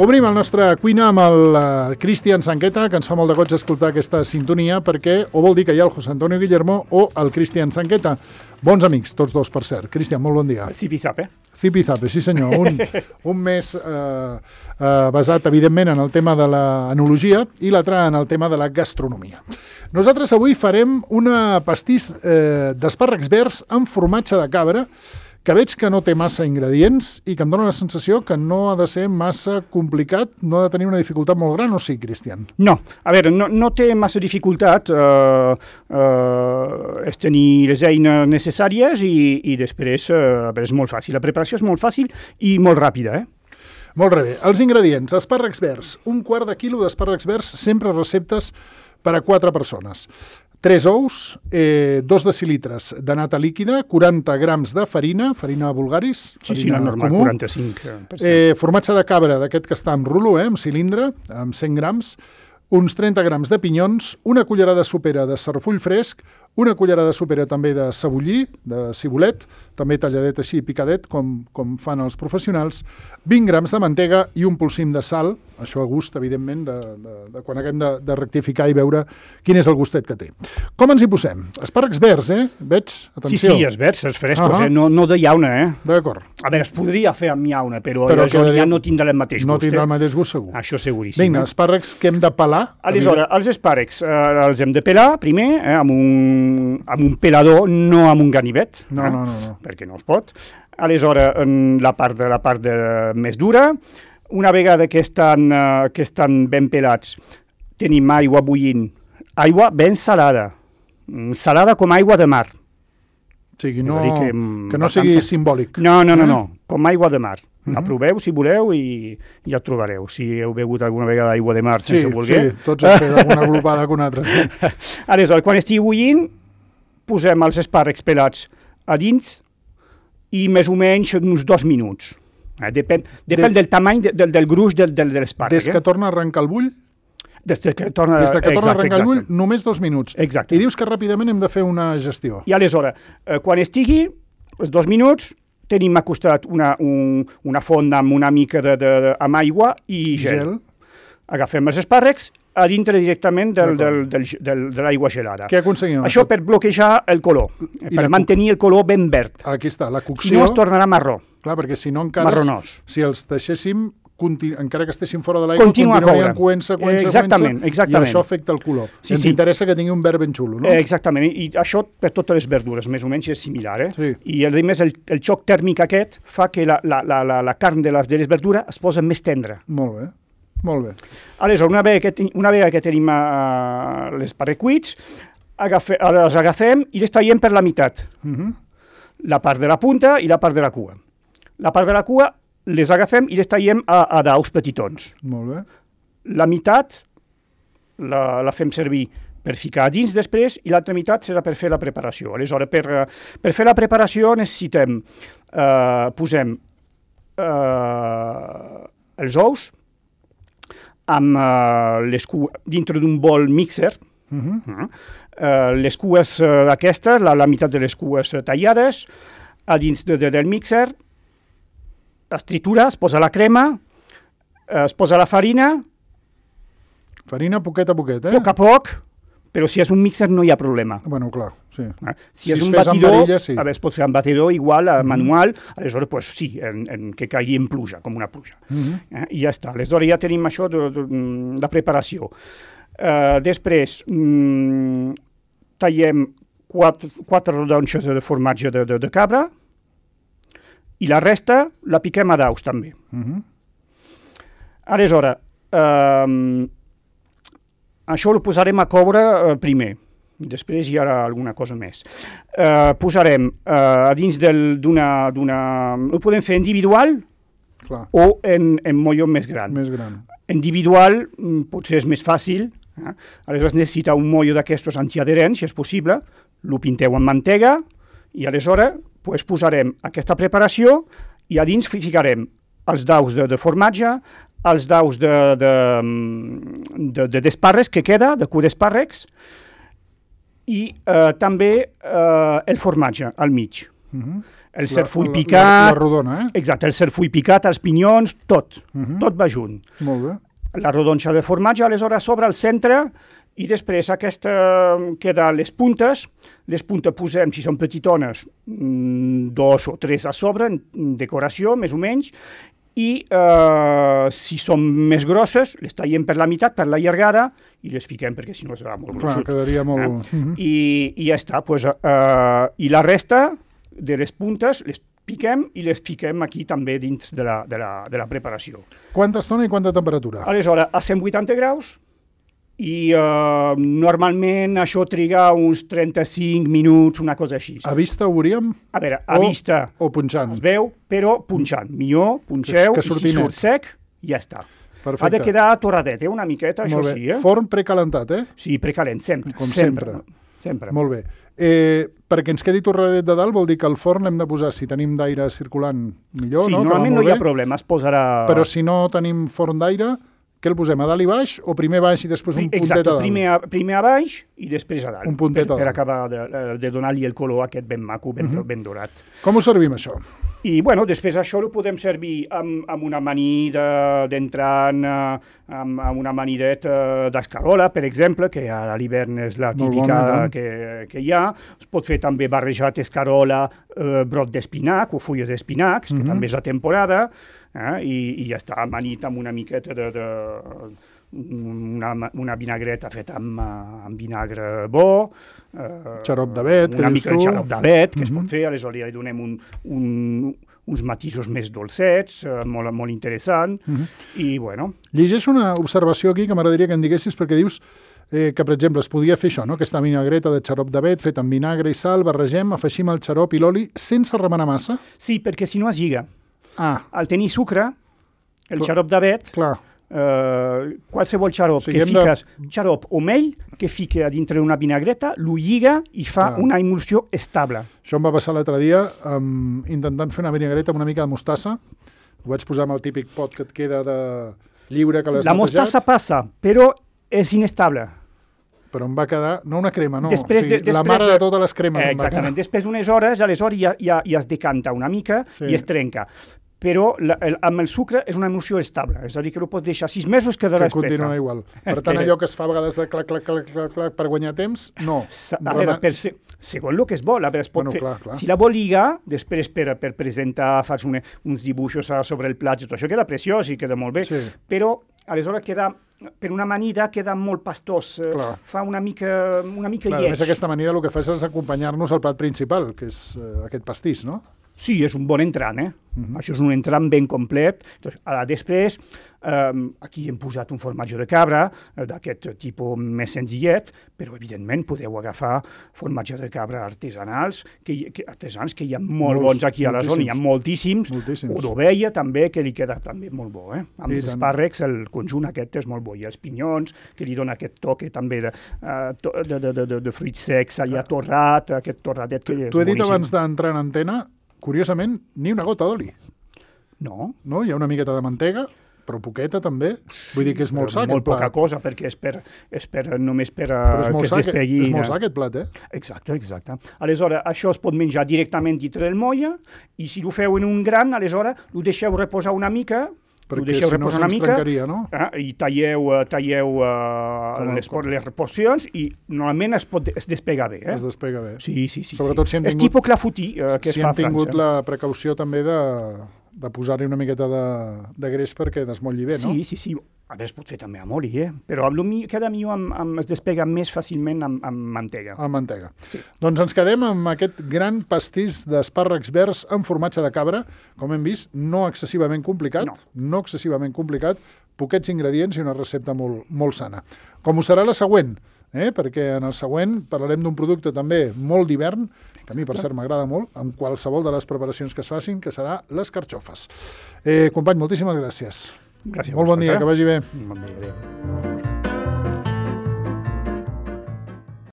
Obrim el nostre cuina amb el Cristian Sanqueta, que ens fa molt de goig escoltar aquesta sintonia, perquè o vol dir que hi ha el José Antonio Guillermo o el Cristian Sanqueta. Bons amics, tots dos, per cert. Cristian, molt bon dia. Zipizape. Zipizape, sí senyor. Un mes basat, evidentment, en el tema de l'enologia i l'altre en el tema de la gastronomia. Nosaltres avui farem una pastís d'espàrrecs verds amb formatge de cabra, que veig que no té massa ingredients i que em dóna la sensació que no ha de ser massa complicat, no ha de tenir una dificultat molt gran, o sí, Cristian? No, a veure, no té massa dificultat, és tenir les eines necessàries i després és molt fàcil. La preparació és molt fàcil i molt ràpida, Molt bé. Els ingredients: espàrrecs verds, 1/4 de quilo d'espàrrecs verds, sempre receptes per a 4 persones. 3 ous, 2 decilitres de nata líquida, 40 grams de farina vulgaris, farina normal, comú, 45%. Formatge de cabra, d'aquest que està en rulo, en cilindre, amb 100 grams, uns 30 grams de pinyons, una cullerada sopera de sarfull fresc, una cullerada sopera també de cebollí, de cibulet, també talladet així, picadet, com fan els professionals, 20 grams de mantega i un polsim de sal, això a gust, evidentment, de quan haguem de rectificar i veure quin és el gustet que té. Com ens hi posem? Espàrrecs verds, Veig? Atenció. Sí, els verds, els frescos, no de llauna, D'acord. A veure, es podria fer amb llauna, però ja no tindrà el mateix gust. No tindrà el mateix gust, segur. Això seguríssim. Vinga, espàrrecs que hem de pelar. Aleshores, els espàrrecs els hem de pelar primer, amb un pelador, no amb un ganivet. No. Perquè no es pot. Aleshores, en la part més dura, una vegada que estan ben pelats, tenim aigua bullint, aigua ben salada, salada com aigua de mar. O sigui, que no sigui simbòlic. No, com aigua de mar. La proveu, si voleu, i ja ho trobareu. Si heu begut alguna vegada aigua de mar sense voler. Sí, tots hem fet alguna glopada que una altra. Aleshores, quan estigui bullint, posem els espàrrecs pelats a dins i més o menys uns 2 minuts. Depèn del tamany, del gruix de l'espàrrec. Des que torna a arrencar el bull? Des que torna a arrencar el bull, només 2 minuts. Exacte. I dius que ràpidament hem de fer una gestió. I aleshores, quan estigui, els 2 minuts, tenim al costat una fonda amb una mica amb aigua i gel. Agafem els espàrrecs a dintre directament de l'aigua gelada. Què aconseguim? Això per bloquejar el color, per mantenir el color ben verd. Aquí està, la cocció. Si no, es tornarà marró. Clar, perquè si no encara... Marronós. Si els deixéssim, encara que estessin fora de l'aigua, continuarien coent, exactament. I això afecta el color. Ens interessa que tingui un verd ben xulo, no? Exactament, i això per totes les verdures, més o menys és similar. Sí. I a més el xoc tèrmic aquest fa que la carn de les verdures es posa més tendra. Molt bé. Aleshores, una vegada que tenim l'espàrrec cuits, els agafem i les tallem per la meitat. La part de la punta i la part de la cua. La part de la cua les agafem i les tallem a daus petitons. Molt bé. La meitat la fem servir per ficar a dins després i l'altra meitat serà per fer la preparació. Aleshores, per fer la preparació necessitem, posem els ous amb dintre d'un bol mixer, les cues aquestes, la meitat de les cues tallades, a dins del mixer, es tritura, es posa la crema, es posa la farina... Farina poquet a poquet, Poc a poc, però si és un mixer no hi ha problema. Bueno, clar, sí. Si és un batidor, es pot fer amb batidor igual, manual, aleshores, pues, sí, que caigui en pluja, com una pluja. I ja està. Aleshores ja tenim això de preparació. Després tallem 4 rodonxes de formatge de cabra i la resta la piquem a daus també. Aleshores, això ho posarem a coure primer, després hi haurà alguna cosa més. Posarem a dins d'una... Ho podem fer individual o en molló més gran. Individual potser és més fàcil, aleshores necessita un molló d'aquestos antiadherents, si és possible, lo pinteu amb mantega i aleshores posarem aquesta preparació i a dins ficarem els daus de formatge, els daus d'espàrrecs que queda, de cua d'espàrrecs, i també el formatge al mig. el cerfull picat... La rodona, Exacte, el cerfull picat, els pinyons, tot va junt. Molt bé. La rodonxa de formatge, aleshores sobre el centre, i després aquesta queda les puntes posem, si són petitones, 2 o 3 a sobre, en decoració, més o menys, i si són més grosses, les tallem per la meitat, per la llargada, i les fiquem perquè si no serà molt gruixut. Clar, quedaria molt... I ja està, i la resta de les puntes les piquem i les fiquem aquí també dins de la preparació. Quanta estona i quanta temperatura? Aleshores, a 180 graus, i normalment això triga uns 35 minuts, una cosa així. A vista ho veuríem? A veure, a vista o punxant? Es veu, però punxant. Millor, punxeu, i si surt sec, ja està. Perfecte. Ha de quedar torradet, una miqueta, això sí. Forn precalentat, Sí, precalent, sempre. Com sempre. Molt bé. Perquè ens quedi torradet de dalt vol dir que el forn l'hem de posar, si tenim d'aire circulant, millor, sí, no? Sí, normalment no hi ha problema, es posarà... Però si no tenim forn d'aire, què el posem, a dalt i baix, o primer baix i després un puntet a dalt? Exacte, primer a baix i després a dalt. Un puntet a dalt. Per acabar de donar-li el color aquest ben maco, ben dorat. Com ho servim, això? I, bueno, després això ho podem servir amb una amanida d'entrant, amb una amanideta d'escarola, per exemple, que a l'hivern és la típica que hi ha. Es pot fer també barrejat escarola, brot d'espinac o fulles d'espinacs, que també és la temporada, i ja està amanit amb una miqueta una vinagreta feta amb vinagre bo, xarop d'avet, una mica de xarop d'avet, que es pot fer, aleshores li donem uns matisos més dolcets, molt interessant, i bueno. Llegeixo una observació aquí que m'agradaria que em diguessis, perquè dius que, per exemple, es podia fer això, no? Aquesta vinagreta de xarop d'avet feta amb vinagre i sal, barregem, afegim el xarop i l'oli sense remenar massa? Sí, perquè si no es lliga. Al tenir sucre, el xarop d'avet, qualsevol xarop que fiques, xarop o mel, que fica a dintre d'una vinagreta, lo lliga i fa una emulsió estable. Això em va passar l'altre dia intentant fer una vinagreta amb una mica de mostassa. Ho vaig posar amb el típic pot que et queda de lliure que l'has netejat. La mostassa passa, però és inestable. Però em va quedar, no una crema, no, la mare de totes les cremes. Exactament, després d'unes hores, aleshores ja es decanta una mica i es trenca. Però amb el sucre és una emulsió estable, és a dir, que ho pots deixar 6 mesos quedarà espessa. Que continua igual. Per tant, allò que es fa a vegades de clac, clac, clac, clac, clac, per guanyar temps, no. A veure, segons el que es vol, es pot fer. Si la vol lligar, després per presentar, fas uns dibuixos sobre el plat, tot això queda preciós i queda molt bé, però aleshores queda... Per una amanida queda molt pastós, fa una mica lleig. A més, aquesta amanida el que fa és acompanyar-nos al plat principal, que és aquest pastís, no? Sí, és un bon entrant, Això és un entrant ben complet. Després, aquí hem posat un formatge de cabra, d'aquest tipus més senzillet, però evidentment podeu agafar formatge de cabra artesanals, que hi ha molt bons aquí a la zona, hi ha moltíssims. O d'ovella també, que li queda també molt bo. Amb els espàrrecs el conjunt aquest és molt bo, i els pinyons, que li dona aquest toque també de fruits secs, allà torrat, aquest torradet que és boníssim. T'ho he dit abans d'entrar en antena, curiosament, ni una gota d'oli. No. No? Hi ha una miqueta de mantega, però poqueta també. Vull dir que és molt sa aquest plat. Molt poca cosa, perquè només per que es despegui. És molt sa aquest plat, Exacte. Aleshores, això es pot menjar directament dintre del molla, i si ho feu en un gran, aleshores ho deixeu reposar una mica, perquè si no se'ns trencaria, no? I talleu les porcions i normalment es despega bé. Es despega bé. Sí. Sobretot si hem tingut... És tipus clafoutis que es fa a França. Si hem tingut la precaució també de posar-hi una miqueta de greix perquè desmotlli bé, no? Sí. A veure, es pot fer també amb oli, però queda millor es despega més fàcilment amb mantega. Amb mantega. Sí. Doncs ens quedem amb aquest gran pastís d'espàrrecs verds amb formatge de cabra, com hem vist, no excessivament complicat, poquets ingredients i una recepta molt, molt sana. Com ho serà la següent, perquè en el següent parlarem d'un producte també molt d'hivern, que a mi per cert m'agrada molt, amb qualsevol de les preparacions que es facin, que serà les carxofes. Company, moltíssimes gràcies. Gràcies. Molt bon dia, que vagi bé. Bon dia.